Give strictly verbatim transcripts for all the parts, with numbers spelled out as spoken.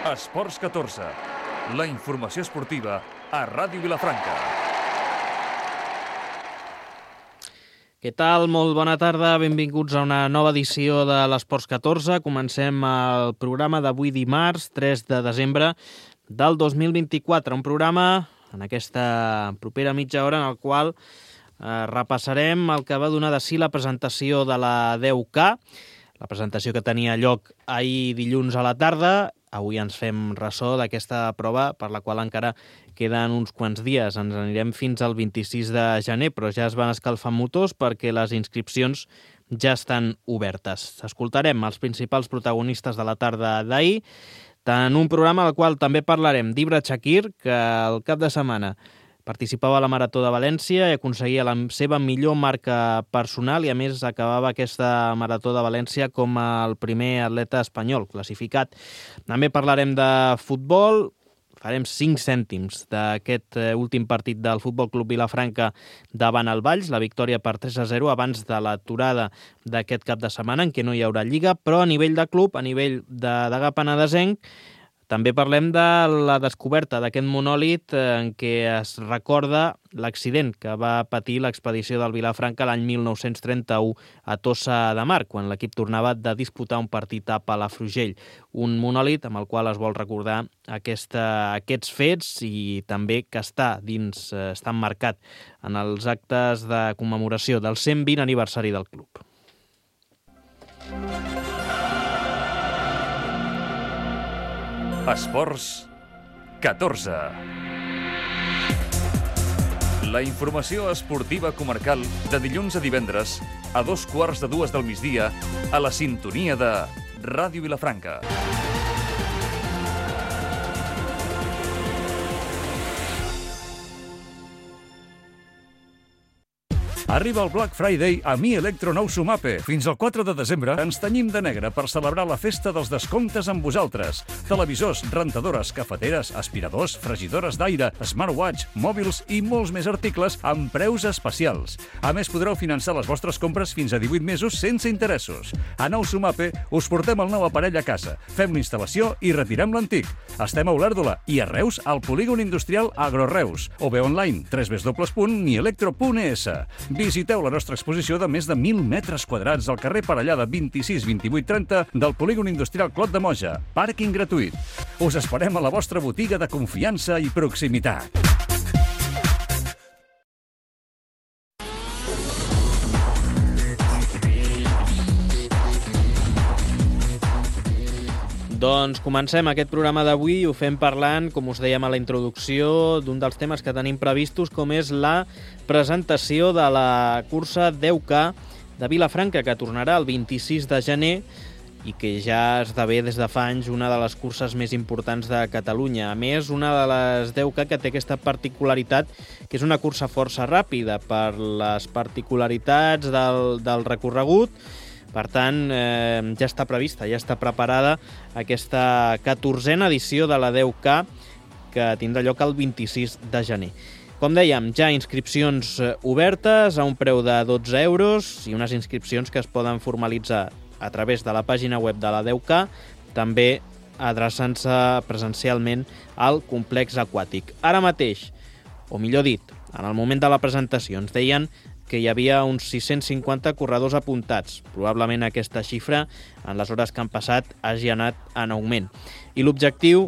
Esports catorze, la informació esportiva a Ràdio Vilafranca. Què tal? Molt bona tarda, benvinguts a una nova edició de l'Esports catorze. Comencem el programa d'avui dimarts, tres de desembre del dos mil vint-i-quatre. Un programa en aquesta propera mitja hora en el qual eh, repassarem el que va donar de si la presentació de la deu K, la presentació que tenia lloc ahir dilluns a la tarda. Avui ens fem ressò d'aquesta prova per la qual encara queden uns quants dies. Ens anirem fins al vint-i-sis de gener, però ja es van escalfant motors perquè les inscripcions ja estan obertes. Escoltarem els principals protagonistes de la tarda d'ahir, en un programa al qual també parlarem d'Ibra Chakir, que el cap de setmana participava a la Marató de València i aconseguia la seva millor marca personal i, a més, acabava aquesta Marató de València com el primer atleta espanyol classificat. També parlarem de futbol, farem cinc cèntims d'aquest últim partit del Futbol Club Vilafranca davant el Valls, la victòria per tres a zero abans de l'aturada d'aquest cap de setmana en què no hi haurà Lliga, però a nivell de club, a nivell de Degà Penedesenc, també parlem de la descoberta d'aquest monòlit en què es recorda l'accident que va patir l'expedició del Vilafranca l'any mil nou-cents trenta-u a Tossa de Mar, quan l'equip tornava de disputar un partit a Palafrugell. Un monòlit amb el qual es vol recordar aquesta, aquests fets i també que està dins, està emmarcat en els actes de commemoració del cent vint aniversari del club. Esports catorze. La informació esportiva comarcal de dilluns a divendres a dos quarts de dues del migdia a la sintonia de Ràdio Vilafranca. Arriba el Black Friday a Mi Electro Nou Sumape. Fins al quatre de desembre ens tenyim de negre per celebrar la festa dels descomptes amb vosaltres. Televisors, rentadores, cafeteres, aspiradors, fregidores d'aire, smartwatch, mòbils i molts més articles amb preus especials. A més, podreu finançar les vostres compres fins a divuit mesos sense interessos. A Nou Sumape us portem el nou aparell a casa, fem l'instal·lació i retirem l'antic. Estem a Olèrdola i a Reus al polígon industrial Agroreus o bé online w w w punt mi electro punt e s. Visiteu la nostra exposició de més de mil metres quadrats al carrer Parellada vint-i-sis vint-i-vuit trenta del polígon industrial Clot de Moja. Pàrquing gratuït. Us esperem a la vostra botiga de confiança i proximitat. Doncs comencem aquest programa d'avui i ho fem parlant, com us dèiem a la introducció, d'un dels temes que tenim previstos, com és la presentació de la cursa deu K de Vilafranca, que tornarà el vint-i-sis de gener i que ja esdevé des de fa anys una de les curses més importants de Catalunya. A més, una de les deu K que té aquesta particularitat, que és una cursa força ràpida per les particularitats del, del recorregut. Per tant, eh, ja està prevista, ja està preparada aquesta catorzena edició de la deu K que tindrà lloc el vint-i-sis de gener. Com dèiem, ja inscripcions obertes a un preu de dotze euros i unes inscripcions que es poden formalitzar a través de la pàgina web de la deu K, també adreçant-se presencialment al complex aquàtic. Ara mateix, o millor dit, en el moment de la presentació, ens deien que hi havia uns sis-cents cinquanta corredors apuntats. Probablement aquesta xifra, en les hores que han passat, hagi anat en augment. I l'objectiu,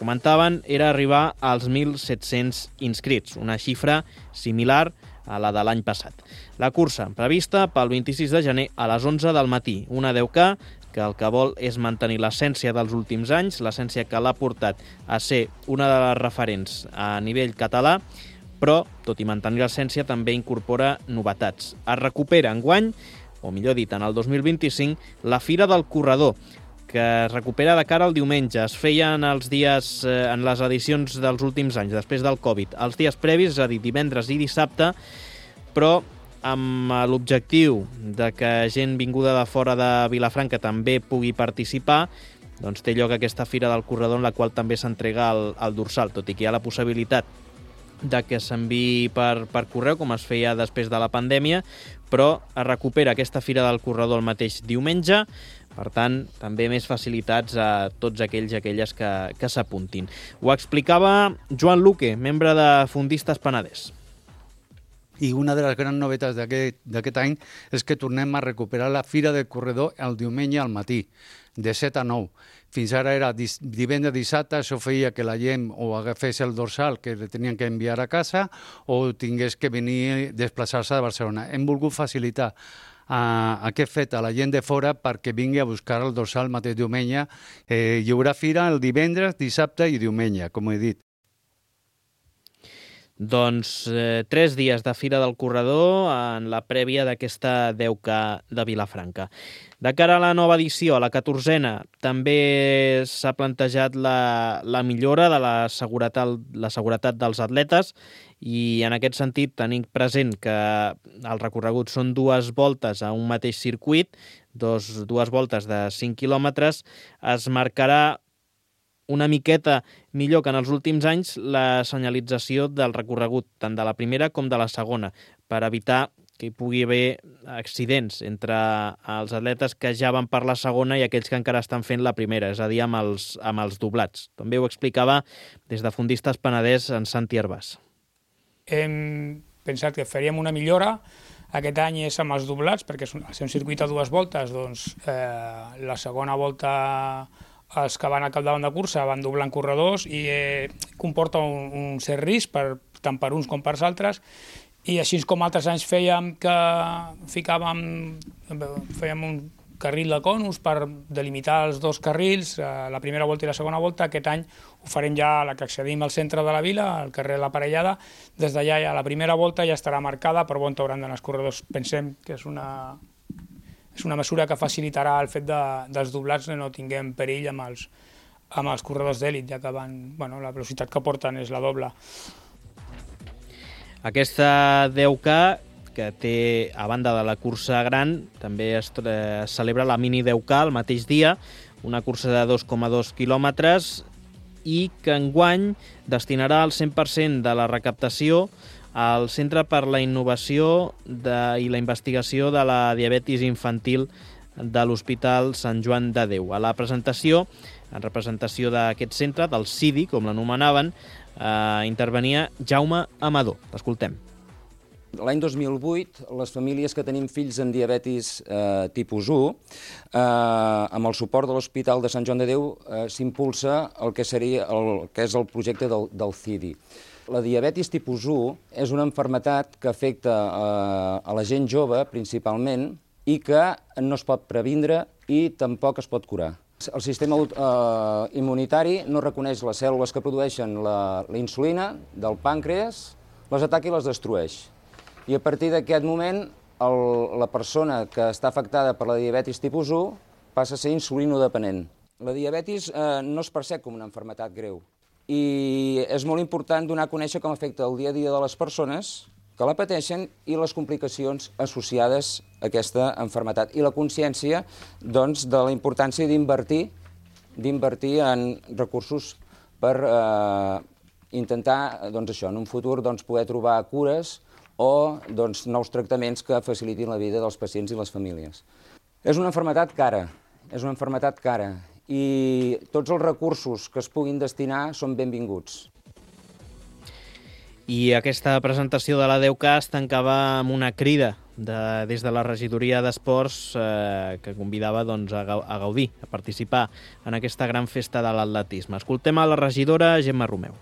comentaven, era arribar als mil set-cents inscrits, una xifra similar a la de l'any passat. La cursa prevista pel vint-i-sis de gener a les onze del matí, una deu K que el que vol és mantenir l'essència dels últims anys, l'essència que l'ha portat a ser una de les referents a nivell català, però, tot i mantenir l'essència, també incorpora novetats. Es recupera enguany, o millor dit, en el dos mil vint-i-cinc, la Fira del Corredor, que es recupera de cara al diumenge. Es feia en els dies, eh, en les edicions dels últims anys, després del Covid, els dies previs, és a dir, divendres i dissabte, però amb l'objectiu de que gent vinguda de fora de Vilafranca també pugui participar, doncs té lloc aquesta Fira del Corredor en la qual també s'entrega el, el dorsal, tot i que hi ha la possibilitat de que s'enviï per, per correu, com es feia després de la pandèmia, però es recupera aquesta Fira del Corredor el mateix diumenge, Per tant, també més facilitats a tots aquells i aquelles que, que s'apuntin. Ho explicava Joan Luque, membre de Fundistes Penedès. I una de les grans novetats d'aquest any és que tornem a recuperar la Fira del Corredor el diumenge al matí, de set a nou. Fins ara era divendres, dissabte, això feia que la gent o agafés el dorsal que le tenien que enviar a casa o tingués que venir, desplaçar-se de Barcelona. Hem volgut facilitar a aquest fet a la gent de fora perquè vingui a buscar el dorsal el mateix diumenge. Eh, hi haurà fira el divendres, dissabte i diumenge, com he dit. Doncs eh, tres dies de Fira del Corredor en la prèvia d'aquesta deu K de Vilafranca. De cara a la nova edició, a la catorzena, també s'ha plantejat la, la millora de la seguretat, la seguretat dels atletes i en aquest sentit tenim present que el recorregut són dues voltes a un mateix circuit, dos, dues voltes de cinc quilòmetres, es marcarà una miqueta millor que en els últims anys la senyalització del recorregut, tant de la primera com de la segona, per evitar que hi pugui haver accidents entre els atletes que ja van per la segona i aquells que encara estan fent la primera, és a dir, amb els, amb els doblats. També ho explicava des de Fundistes Penedès en Santi Hervàs. Hem pensat que faríem una millora. Aquest any és amb els doblats, perquè al ser un circuit a dues voltes, doncs eh, la segona volta els que van al capdavant de cursa van doblant corredors i eh, comporta un, un cert risc per, tant per uns com per altres, i així com altres anys fèiem que ficàvem, fèiem un carril de conus per delimitar els dos carrils, la primera volta i la segona volta. Aquest any ho farem ja a la que accedim al centre de la vila, al carrer de la Parellada. Des d'allà ja la primera volta ja estarà marcada per on hauran d'anar els corredors. Pensem que és una... és una mesura que facilitarà el fet de, dels doblats que no tinguem perill amb els, amb els corredors d'èlit, ja que van, bueno, la velocitat que porten és la doble. Aquesta deu K, que té, a banda de la cursa gran, també es, es celebra la mini deu K el mateix dia, una cursa de dos coma dos quilòmetres i que enguany destinarà el cent per cent de la recaptació al Centre per la Innovació de, i la Investigació de la Diabetis Infantil de l'Hospital Sant Joan de Déu. A la presentació, en representació d'aquest centre, del C I D I, com l'anomenaven, eh, intervenia Jaume Amador. L'escoltem. L'any dos mil vuit, les famílies que tenim fills amb diabetis eh, tipus u, eh, amb el suport de l'Hospital de Sant Joan de Déu, eh, s'impulsa el que seria el que és el projecte del, del C I D I. La diabetis tipus u és una malaltia que afecta eh, a la gent jove, principalment, i que no es pot previndre i tampoc es pot curar. El sistema eh, immunitari no reconeix les cèl·lules que produeixen la, la insulina del pàncreas, les ataca i les destrueix. I a partir d'aquest moment, el, la persona que està afectada per la diabetis tipus u passa a ser insulinodependent. La diabetis eh, no es percep com una malaltia greu. I és molt important donar a conèixer com afecta el dia a dia de les persones que la pateixen i les complicacions associades a aquesta malaltia. I la consciència, doncs, de la importància d'invertir d'invertir en recursos per eh, intentar, doncs, això, en un futur doncs, poder trobar cures o doncs, nous tractaments que facilitin la vida dels pacients i les famílies. És una malaltia cara, és una malaltia cara. I tots els recursos que es puguin destinar són benvinguts. I aquesta presentació de la deu K es tancava amb una crida de, des de la regidoria d'Esports eh, que convidava doncs, a, a gaudir, a participar en aquesta gran festa de l'atletisme. Escoltem a la regidora Gemma Romeu.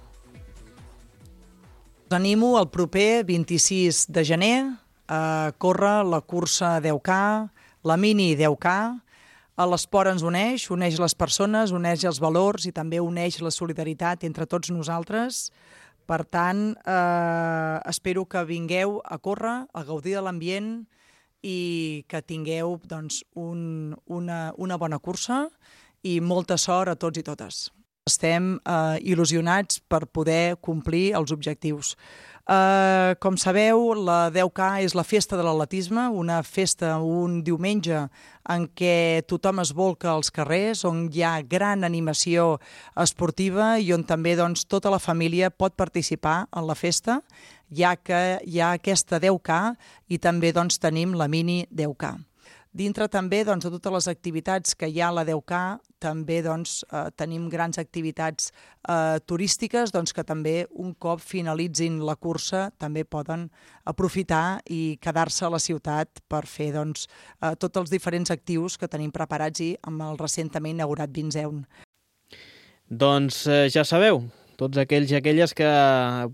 Us animo el proper vint-i-sis de gener a córrer la cursa deu K, la mini deu K. L'esport ens uneix, uneix les persones, uneix els valors i també uneix la solidaritat entre tots nosaltres. Per tant, eh, espero que vingueu a córrer, a gaudir de l'ambient i que tingueu doncs, un, una, una bona cursa i molta sort a tots i totes. Estem eh, il·lusionats per poder complir els objectius. Uh, com sabeu, la deu K és la festa de l'atletisme, una festa, un diumenge en què tothom es volca als carrers, on hi ha gran animació esportiva i on també doncs, tota la família pot participar en la festa, ja que hi ha aquesta deu K i també doncs, tenim la mini deu K. Dintre també doncs, de totes les activitats que hi ha a la deu K, també doncs, eh, tenim grans activitats eh, turístiques doncs, que també un cop finalitzin la cursa també poden aprofitar i quedar-se a la ciutat per fer doncs, eh, tots els diferents actius que tenim preparats i amb el recentment inaugurat Vinzeun. Doncs eh, ja sabeu, tots aquells i aquelles que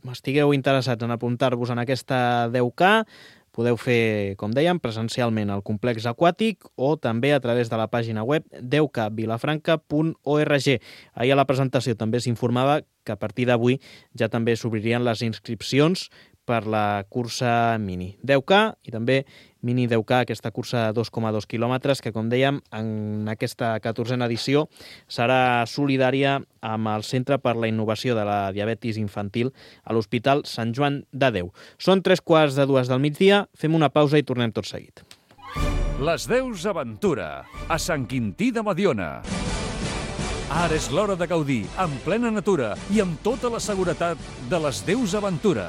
estigueu interessats en apuntar-vos en aquesta deu K, podeu fer, com dèiem, presencialment al complex aquàtic o també a través de la pàgina web deu k vilafranca punt org. Ahir a la presentació també s'informava que a partir d'avui ja també s'obririen les inscripcions per la cursa mini deu K i també mini deu K, aquesta cursa de dos coma dos quilòmetres que, com dèiem, en aquesta catorzena edició serà solidària amb el Centre per la Innovació de la Diabetis Infantil a l'Hospital Sant Joan de Déu. Són tres quarts de dues del migdia, fem una pausa i tornem tot seguit. Les Deus Aventura, a Sant Quintí de Mediona. Ara és l'hora de gaudir, en plena natura i amb tota la seguretat de les Deus Aventura.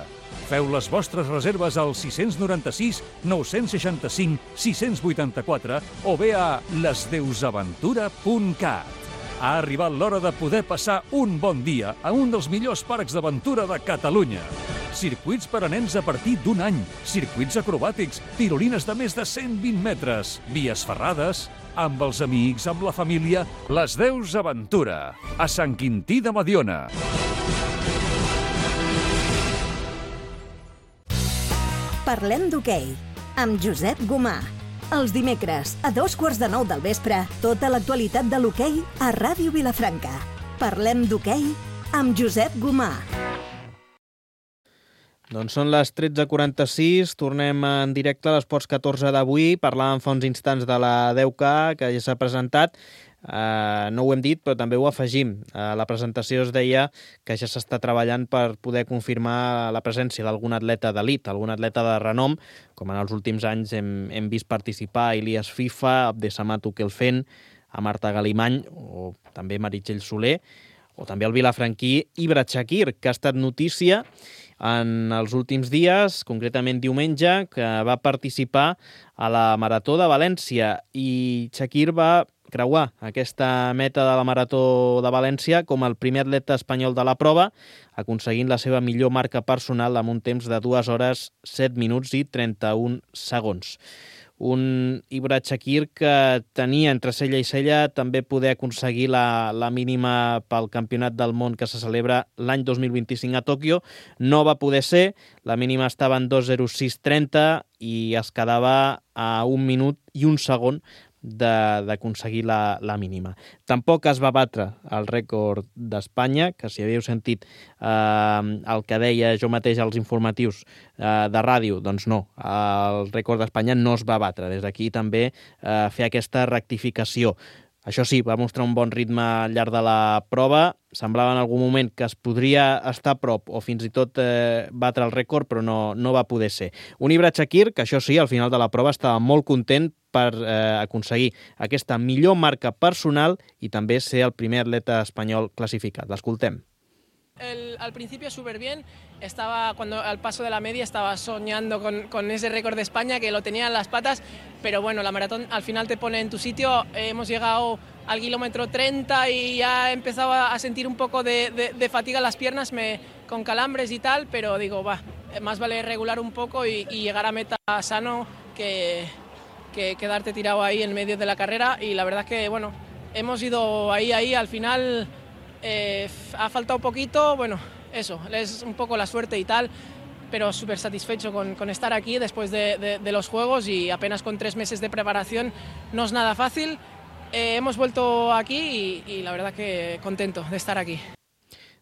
Feu les vostres reserves al sis nou sis, nou sis cinc, sis vuit quatre o bé a les deus aventura punt cat. Ha arribat l'hora de poder passar un bon dia a un dels millors parcs d'aventura de Catalunya. Circuits per a nens a partir d'un any, circuits acrobàtics, tirolines de més de cent vint metres, vies ferrades, amb els amics, amb la família, les Deus Aventura, a Sant Quintí de Mediona. Parlem d'hoquei, amb Josep Gomà. Els dimecres, a dos quarts de nou del vespre, tota l'actualitat de l'hoquei a Ràdio Vilafranca. Parlem d'hoquei amb Josep Gomà. Doncs són les tretze quaranta-sis, tornem en directe a l'Esports catorze d'avui. Parlàvem fa uns instants de la deu K, que ja s'ha presentat. Uh, no ho hem dit, però també ho afegim. Uh, la presentació es deia que ja s'està treballant per poder confirmar la presència d'algun atleta d'elit, algun atleta de renom, com en els últims anys hem, hem vist participar a Elias FIFA, Abdesamat Ukelfen, a Marta Galimany, o també Meritxell Soler, o també el vilafranquí Ibra Chakir, que ha estat notícia en els últims dies, concretament diumenge, que va participar a la Marató de València, i Chakir va creuar aquesta meta de la Marató de València com el primer atleta espanyol de la prova, aconseguint la seva millor marca personal amb un temps de dues hores, set minuts i trenta-un segons. Un Ibra Chakir que tenia entre cella i cella també poder aconseguir la, la mínima pel Campionat del Món que se celebra l'any dos mil vint-i-cinc a Tòquio. No va poder ser, la mínima estava en dos zero sis trenta i es quedava a un minut i un segon d'aconseguir la, la mínima. Tampoc es va batre el rècord d'Espanya, que si havíeu sentit eh, el que deia jo mateix als informatius eh, de ràdio, doncs no, el rècord d'Espanya no es va batre. Des d'aquí també eh, fer aquesta rectificació. Això sí, va mostrar un bon ritme al llarg de la prova. Semblava en algun moment que es podria estar a prop o fins i tot eh, batre el rècord, però no, no va poder ser. Un Ibra Chakir, que això sí, al final de la prova estava molt content per eh, aconseguir aquesta millor marca personal i també ser el primer atleta espanyol classificat. L'escoltem. El, al principio súper bien, estaba cuando al paso de la media estaba soñando con, con ese récord de España que lo tenía en las patas, pero bueno, la maratón al final te pone en tu sitio. Eh, hemos llegado al kilómetro treinta y ya he empezado a sentir un poco de, de, de fatiga en las piernas, me, con calambres y tal, pero digo, va, más vale regular un poco y, y llegar a meta sano que, que quedarte tirado ahí en medio de la carrera. Y la verdad es que, bueno, hemos ido ahí, ahí, al final... Eh, ha faltado un poquito, bueno, eso, es un poco la suerte y tal, pero súper satisfecho con, con estar aquí después de, de, de los Juegos y apenas con tres meses de preparación no es nada fácil. Eh, hemos vuelto aquí y, y la verdad que contento de estar aquí.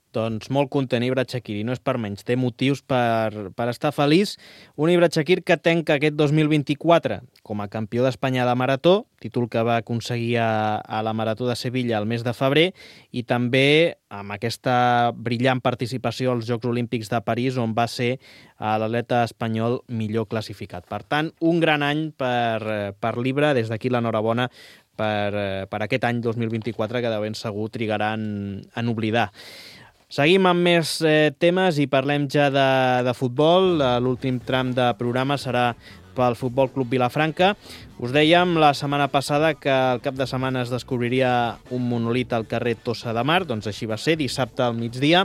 Doncs molt content Ibra Chakir, i no és per menys, té motius per, per estar feliç. Un Ibra Chakir que tanca aquest dos mil vint-i-quatre com a campió d'Espanya de marató, títol que va aconseguir a, a la Marató de Sevilla el mes de febrer, i també amb aquesta brillant participació als Jocs Olímpics de París, on va ser l'atleta espanyol millor classificat. Per tant, un gran any per, per l'Ibra, des d'aquí l'enhorabona per, per aquest any dos mil vint-i-quatre que de ben segur trigarà en, en oblidar. Seguim amb més eh, temes i parlem ja de, de futbol. L'últim tram de programa serà pel Futbol Club Vilafranca. Us dèiem la setmana passada que al cap de setmana es descobriria un monòlit al carrer Tossa de Mar, doncs així va ser, dissabte al migdia,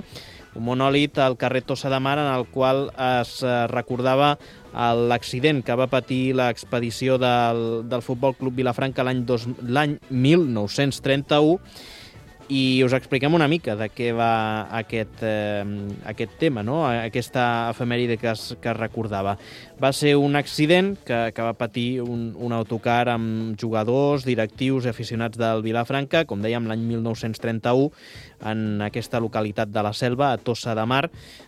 un monòlit al carrer Tossa de Mar en el qual es recordava l'accident que va patir l'expedició del, del Futbol Club Vilafranca l'any l'any mil nou-cents trenta-u, i us expliquem una mica de què va aquest, eh, aquest tema, no? Aquesta efemèride que es, que es recordava. Va ser un accident que, que va patir un, un autocar amb jugadors, directius i aficionats del Vilafranca, com dèiem, l'any mil nou-cents trenta-u, en aquesta localitat de la Selva, a Tossa de Mar,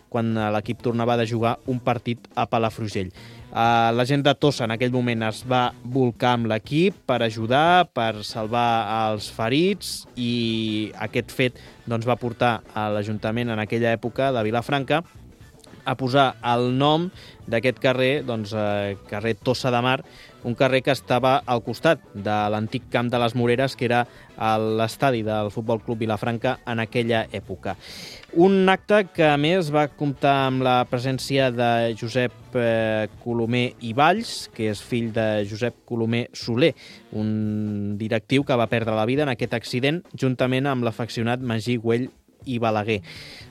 quan l'equip tornava de jugar un partit a Palafrugell. Uh, la gent de Tossa en aquell moment es va volcar amb l'equip per ajudar, per salvar els ferits, i aquest fet doncs, va portar a l'Ajuntament en aquella època de Vilafranca a posar el nom d'aquest carrer, doncs, eh, carrer Tossa de Mar, un carrer que estava al costat de l'antic camp de les Moreres, que era l'estadi del Futbol Club Vilafranca en aquella època. Un acte que, a més, va comptar amb la presència de Josep eh, Colomer i Valls, que és fill de Josep Colomer Soler, un directiu que va perdre la vida en aquest accident, juntament amb l'afeccionat Magí Güell i Balaguer.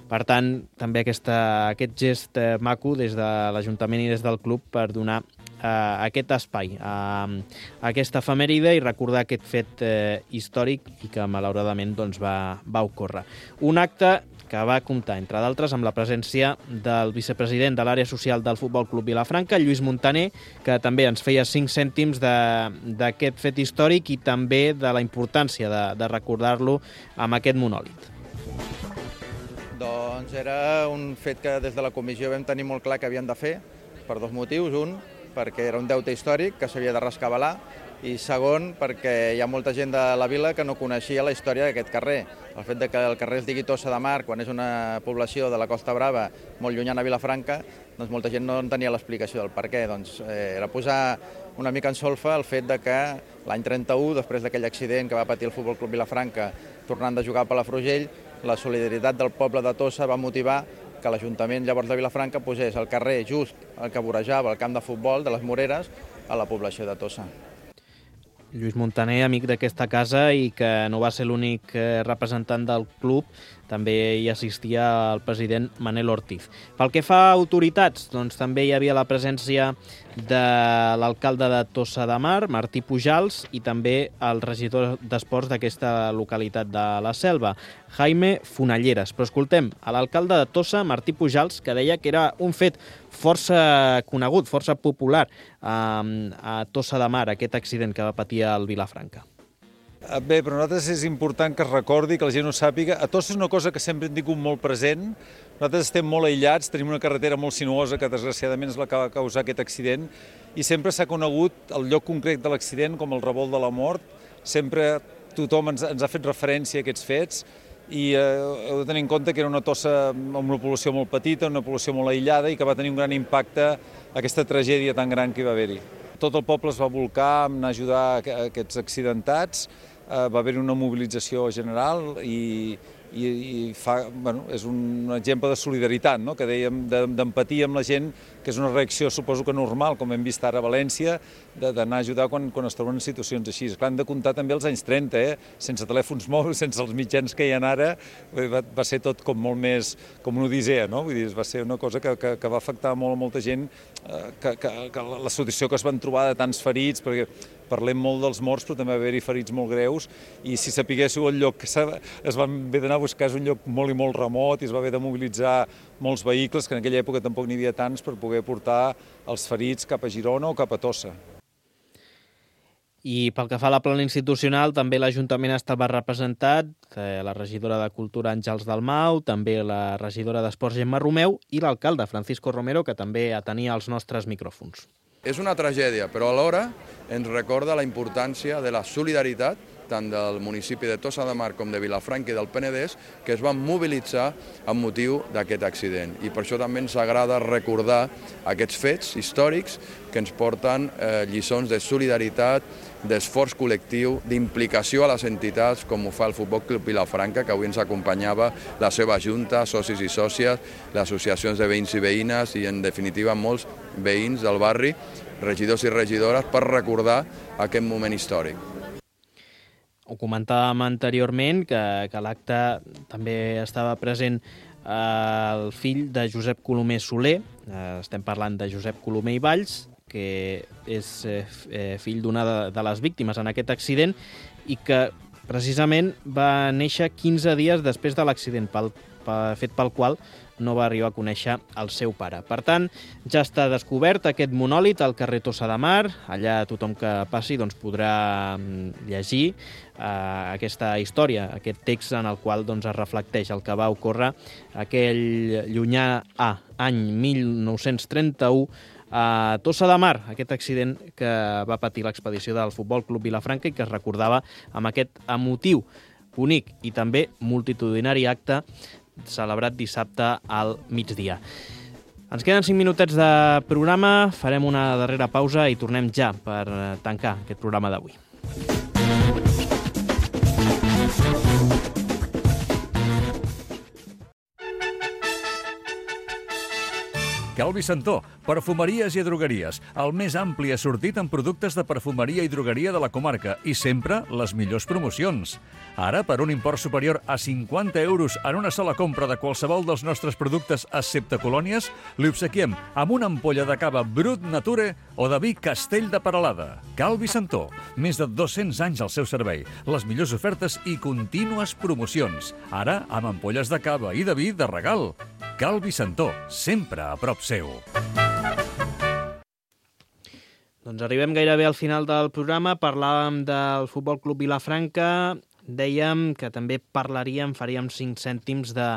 Per tant, també aquesta, aquest gest eh, maco des de l'Ajuntament i des del club per donar eh, aquest espai a, a aquesta efemèride i recordar aquest fet eh, històric i que malauradament doncs, va, va ocórrer. Un acte que va comptar, entre d'altres, amb la presència del vicepresident de l'àrea social del Futbol Club Vilafranca, Lluís Montaner, que també ens feia cinc cèntims d'aquest fet històric i també de la importància de, de recordar-lo amb aquest monòlit. Doncs era un fet que des de la comissió vam tenir molt clar que havien de fer, per dos motius. Un, perquè era un deute històric que s'havia de rescabalar, i segon, perquè hi ha molta gent de la vila que no coneixia la història d'aquest carrer. El fet de que el carrer es digui Tossa de Mar, quan és una població de la Costa Brava molt llunyana a Vilafranca, doncs molta gent no en tenia l'explicació del per què. Doncs eh, era posar una mica en solfa el fet de que l'any trenta-u, després d'aquell accident que va patir el Futbol Club Vilafranca tornant de jugar a Palafrugell, la solidaritat del poble de Tossa va motivar que l'Ajuntament llavors de Vilafranca posés el carrer just el que vorejava el camp de futbol de les Moreres a la població de Tossa. Lluís Montaner, amic d'aquesta casa i que no va ser l'únic representant del club, també hi assistia el president Manel Ortiz. Pel que fa a autoritats, doncs també hi havia la presència de l'alcalde de Tossa de Mar, Martí Pujals, i també el regidor d'Esports d'aquesta localitat de la Selva, Jaime Fonalleres. Però escoltem a l'alcalde de Tossa, Martí Pujals, que deia que era un fet força conegut, força popular a, a Tossa de Mar, aquest accident que va patir al Vilafranca. Bé, per nosaltres és important que es recordi, que la gent ho sàpiga. A Tossa és una cosa que sempre hem tingut molt present. Nosaltres estem molt aïllats, tenim una carretera molt sinuosa que desgraciadament és la que va causar aquest accident, i sempre s'ha conegut el lloc concret de l'accident com el revolt de la mort. Sempre tothom ens, ens ha fet referència a aquests fets, i eh, heu de tenir en compte que era una Tossa amb una població molt petita, una població molt aïllada, i que va tenir un gran impacte aquesta tragèdia tan gran que hi va haver-hi. Tot el poble es va volcar a ajudar a aquests accidentats. Uh, va haver-hi una mobilització general i, i, i fa, bueno, és un exemple de solidaritat, no? Que dèiem, d'empatia amb la gent, que és una reacció, suposo que normal, com hem vist ara a València, d'anar a ajudar quan, quan es troben en situacions així. Clar, hem de comptar també els anys trenta, eh? Sense telèfons mòbils, sense els mitjans que hi ha ara, va, va ser tot com molt més, com una odissea, no? Vull dir, va ser una cosa que, que, que va afectar molt a molta gent, eh, que, que, que la situació que es van trobar de tants ferits, perquè parlem molt dels morts, però també va haver-hi ferits molt greus, i si sapiguéssiu el lloc que es van haver d'anar a buscar és un lloc molt i molt remot, i es va haver de mobilitzar molts vehicles, que en aquella època tampoc n'hi havia tants, per poder portar els ferits cap a Girona o cap a Tossa. I pel que fa a la plana institucional, també l'Ajuntament estava representat, eh, la regidora de Cultura Àngels Dalmau, també la regidora d'Esports Gemma Romeu i l'alcalde Francisco Romero, que també atenia els nostres micròfons. És una tragèdia, però alhora ens recorda la importància de la solidaritat tant del municipi de Tossa de Mar com de Vilafranca i del Penedès, que es van mobilitzar amb motiu d'aquest accident. I per això també ens agrada recordar aquests fets històrics que ens porten eh, lliçons de solidaritat, d'esforç col·lectiu, d'implicació a les entitats, com ho fa el Futbol Club Vilafranca, que avui ens acompanyava la seva junta, socis i sòcies, les associacions de veïns i veïnes i, en definitiva, molts veïns del barri, regidors i regidores, per recordar aquest moment històric. Ho comentàvem anteriorment, que, que l'acte també estava present eh, el fill de Josep Colomer Soler, eh, estem parlant de Josep Colomer i Valls, que és eh, fill d'una de, de les víctimes en aquest accident i que precisament va néixer quinze dies després de l'accident, pel, pel fet pel qual no va arribar a conèixer el seu pare. Per tant, ja està descobert aquest monòlit al carrer Tossa de Mar. Allà tothom que passi doncs, podrà llegir eh, aquesta història, aquest text en el qual doncs, es reflecteix el que va ocórrer aquell llunyà a any mil nou-cents trenta-u a Tossa de Mar, aquest accident que va patir l'expedició del Futbol Club Vilafranca i que es recordava amb aquest emotiu, bonic i també multitudinari acte celebrat dissabte al migdia. Ens queden cinc minutets de programa, farem una darrera pausa i tornem ja per tancar aquest programa d'avui. Calvi Santó, perfumeries i drogueries, el més ampli assortit en productes de perfumeria i drogueria de la comarca i sempre les millors promocions. Ara, per un import superior a cinquanta euros en una sola compra de qualsevol dels nostres productes excepte colònies, li obsequiem amb una ampolla de cava Brut Nature o de vi Castell de Peralada. Calvi Santó, més de dos-cents anys al seu servei, les millors ofertes i contínues promocions. Ara, amb ampolles de cava i de vi de regal. Calvi Santó, sempre a prop seu. Doncs arribem gairebé al final del programa. Parlàvem del Futbol Club Vilafranca. Dèiem que també parlaríem, faríem cinc cèntims de,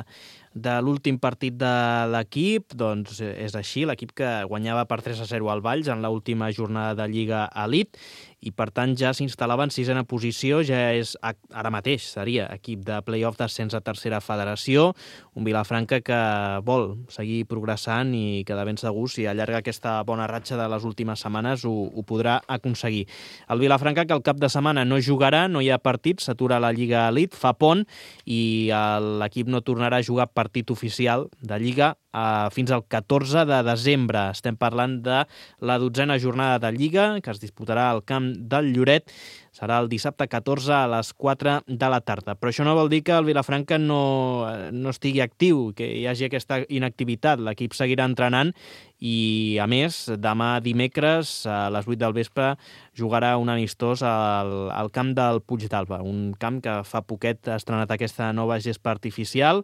de l'últim partit de l'equip. Doncs és així, l'equip que guanyava per tres a zero al Valls en l'última jornada de Lliga Elite i per tant ja s'instal·lava en sisena posició, ja és ara mateix seria equip de play-off d'ascens a tercera federació, un Vilafranca que vol seguir progressant i que de ben segur si allarga aquesta bona ratxa de les últimes setmanes ho, ho podrà aconseguir. El Vilafranca que el cap de setmana no jugarà, no hi ha partit, s'atura la Lliga Elite, fa pont i l'equip no tornarà a jugar partit oficial de Lliga Uh, fins al catorze de desembre. Estem parlant de la dotzena jornada de Lliga, que es disputarà al camp del Lloret. Serà el dissabte catorze a les quatre de la tarda. Però això no vol dir que el Vilafranca no, no estigui actiu, que hi hagi aquesta inactivitat. L'equip seguirà entrenant i, a més, demà dimecres a les vuit del vespre jugarà un amistós al, al camp del Puig d'Alba, un camp que fa poquet ha estrenat aquesta nova gespa artificial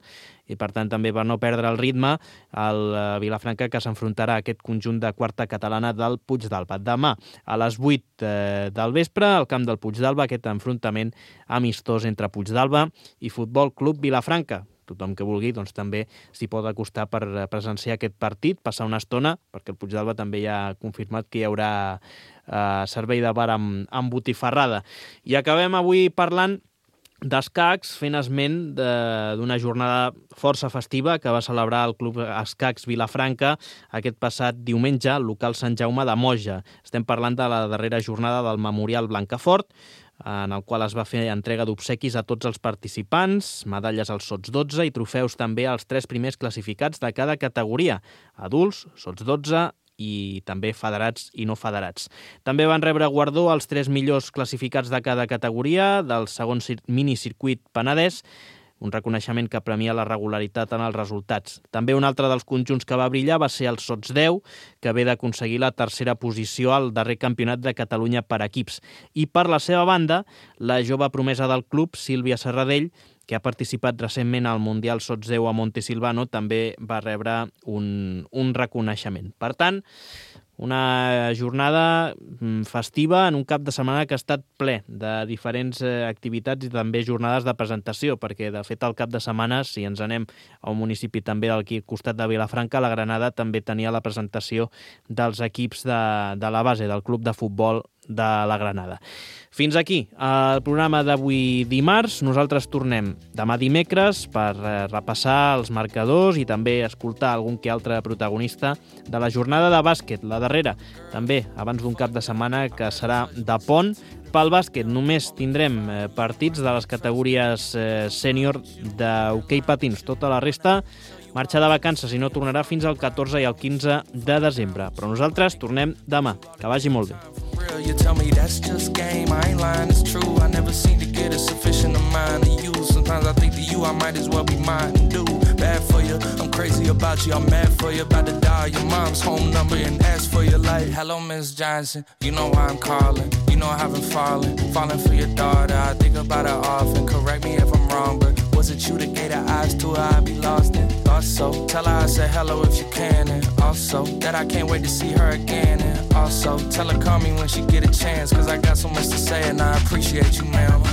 i, per tant, també per no perdre el ritme, el Vilafranca que s'enfrontarà a aquest conjunt de quarta catalana del Puig d'Alba. Demà, a les vuit eh, del vespre, al camp del Puig d'Alba, aquest enfrontament amistós entre Puig d'Alba i Futbol Club Vilafranca. Tothom que vulgui doncs, també s'hi pot acostar per presenciar aquest partit, passar una estona, perquè el Puig d'Alba també ja ha confirmat que hi haurà eh, servei de bar amb, amb botifarrada. I acabem avui parlant d'escacs, fent esment d'una jornada força festiva que va celebrar el Club Escacs Vilafranca aquest passat diumenge al local Sant Jaume de Moja. Estem parlant de la darrera jornada del Memorial Blancafort, en el qual es va fer entrega d'obsequis a tots els participants, medalles als sots dotze i trofeus també als tres primers classificats de cada categoria, adults, sots dotze i també federats i no federats. També van rebre guardó els tres millors classificats de cada categoria del segon minicircuit Penedès, un reconeixement que premia la regularitat en els resultats. També un altre dels conjunts que va brillar va ser el Sots deu, que ve d'aconseguir la tercera posició al darrer campionat de Catalunya per equips. I per la seva banda, la jove promesa del club, Sílvia Serradell, que ha participat recentment al Mundial Sots deu a Montesilvano, també va rebre un, un reconeixement. Per tant, una jornada festiva en un cap de setmana que ha estat ple de diferents activitats i també jornades de presentació, perquè de fet el cap de setmana, si ens anem a un municipi també d'aquí al costat de Vilafranca, la Granada també tenia la presentació dels equips de, de la base del club de futbol de la Granada. Fins aquí el programa d'avui dimarts. Nosaltres tornem demà dimecres per repassar els marcadors i també escoltar algun que altre protagonista de la jornada de bàsquet, la darrera, també abans d'un cap de setmana que serà de pont. Pel bàsquet només tindrem partits de les categories sènior d'hoquei patins. Tota la resta marxa de vacances i no tornarà fins al catorze i el quinze de desembre. Però nosaltres tornem demà. Que vagi molt bé. You tell me that's just game, I ain't lying, it's true. I never seem to get a sufficient amount of you. Sometimes I think to you, I might as well be mine and do bad for you. I'm crazy about you, I'm mad for you. About to dial your mom's home number and ask for your life. Hello, Miss Johnson, you know why I'm calling. You know I haven't fallen, falling for your daughter. I think about her often, correct me if I'm wrong, but was it you that gave her eyes to her? I'd be lost in. Also, tell her I said hello if you can, and also that I can't wait to see her again, and also tell her call me when she get a chance, cause I got so much to say and I appreciate you, ma'am.